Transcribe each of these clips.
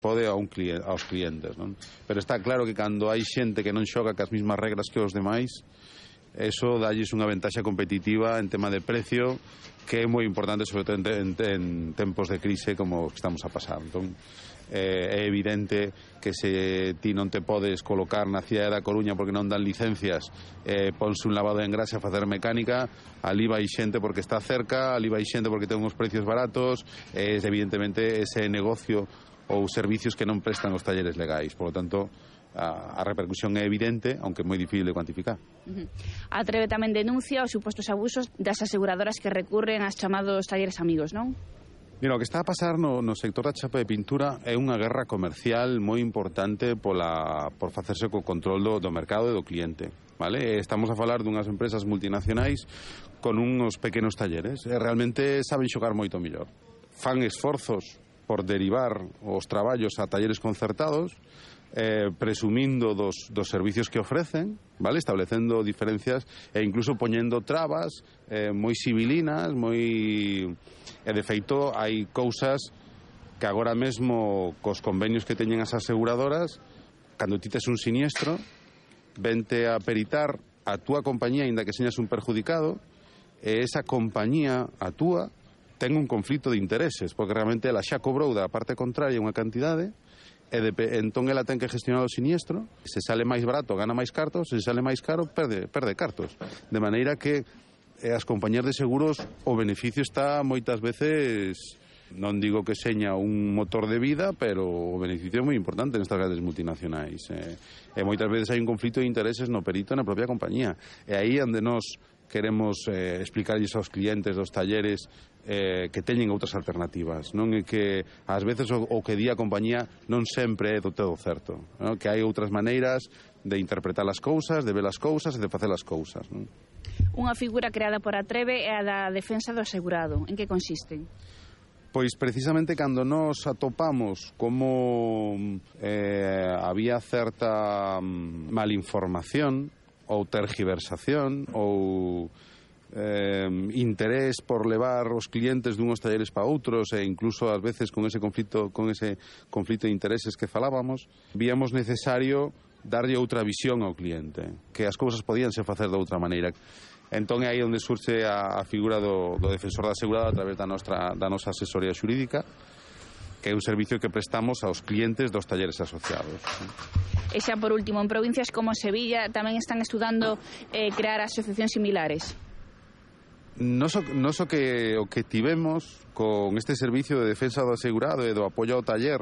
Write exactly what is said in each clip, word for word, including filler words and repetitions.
pode a un cliente, aos clientes, non? Pero está claro que cando hai xente que non xoga cas mismas regras que os demais, eso dalles unha ventaxa competitiva en tema de precio que é moi importante, sobre todo en, en, en tempos de crise como que estamos a pasar. Entón, eh, é evidente que se ti non te podes colocar na cidade da Coruña porque non dan licencias, eh, ponse un lavado de engrase a facer mecánica, ali vai xente porque está cerca, ali vai xente porque ten uns precios baratos, é evidentemente ese negocio ou servicios que non prestan os talleres legais. Por lo tanto, a, a repercusión é evidente, aunque é moi difícil de cuantificar. Uh-huh. A Trebe tamén denuncia os supostos abusos das aseguradoras que recurren aos chamados talleres amigos, non? Mira, o que está a pasar no, no sector da chapa de pintura é unha guerra comercial moi importante pola, por facerse co control do, do mercado e do cliente. Vale? Estamos a falar dunhas empresas multinacionais con uns pequenos talleres e realmente saben xogar moito mellor. Fan esforzos por derivar os traballos a talleres concertados, eh, presumindo dos, dos servicios que ofrecen, vale, establecendo diferencias e incluso poñendo trabas eh, moi civilinas, moi... E de feito hai cousas que agora mesmo cos convenios que teñen as aseguradoras, cando ti tes un siniestro, vente a peritar a túa compañía, aínda que señas un perjudicado, e esa compañía, a túa, ten un conflito de intereses, porque realmente ela xa cobrou da parte contraria unha cantidade, e de, entón ela ten que gestionar o siniestro, se sale máis barato gana máis cartos, se sale máis caro perde, perde cartos. De maneira que as compañías de seguros o beneficio está moitas veces, non digo que seña un motor de vida, pero o beneficio é moi importante nestas grandes multinacionais. E, e moitas veces hai un conflito de intereses no perito na propia compañía. E aí onde nos queremos eh, explicarlles aos clientes dos talleres eh, que teñen outras alternativas, non é que ás veces o, o que di a compañía non sempre é do todo certo, non? Que hai outras maneiras de interpretar as cousas, de ver as cousas e de facer as cousas, non? Unha figura creada por a Trebe é a da defensa do asegurado. En que consiste? Pois precisamente cando nos atopamos como eh, había certa malinformación ou tergiversación ou eh, interés por levar os clientes dunhos talleres para outros e incluso ás veces con ese conflito con ese conflito de intereses que falábamos, víamos necesario darlle outra visión ao cliente, que as cousas podíanse facer de outra maneira. Entón é aí onde surxe a, a figura do, do defensor da asegurado a través da nosa, da nosa asesoría xurídica, que é un servicio que prestamos aos clientes dos talleres asociados. E xa por último, en provincias como Sevilla tamén están estudando eh, crear asociacións similares. Nos o, nos o que o que tivemos con este servicio de defensa do asegurado e do apoio ao taller,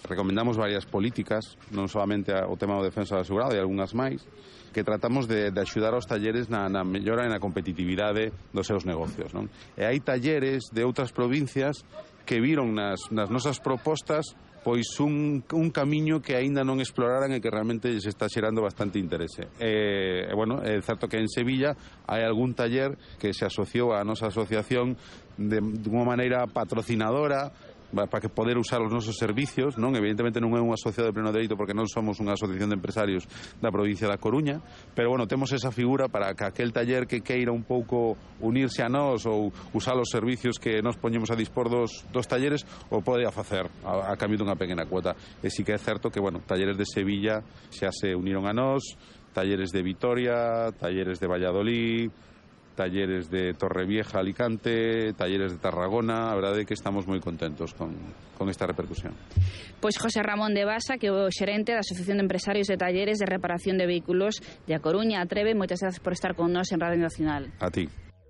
recomendamos varias políticas, non solamente o tema do defensa do asegurado e algunhas máis, que tratamos de, de axudar aos talleres na, na mellora e na competitividade dos seus negocios, non? E hai talleres de outras provincias que viron nas, nas nosas propostas pois un, un camiño que aínda non exploraran e que realmente se está xerando bastante interese. E, e bueno, é certo que en Sevilla hai algún taller que se asociou á nosa asociación de, de unha maneira patrocinadora para que poder usar os nosos servicios, non? Evidentemente non é un asociado de pleno dereito porque non somos unha asociación de empresarios da provincia da Coruña, pero bueno, temos esa figura para que aquel taller que queira un pouco unirse a nós ou usar os servicios que nos poñemos a dispor dos, dos talleres o pode a facer a, a cambio dunha pequena cuota. E sí que é certo que, bueno, talleres de Sevilla xa se uniron a nós, talleres de Vitoria, talleres de Valladolid, talleres de Torrevieja, Alicante, talleres de Tarragona. A verdade é que estamos moi contentos con, con esta repercusión. Pois José Ramón de Basa, que é o xerente da Asociación de Empresarios de Talleres de Reparación de Vehículos de A Coruña, a Trebe, moitas grazas por estar con nós en Radio Nacional. A ti.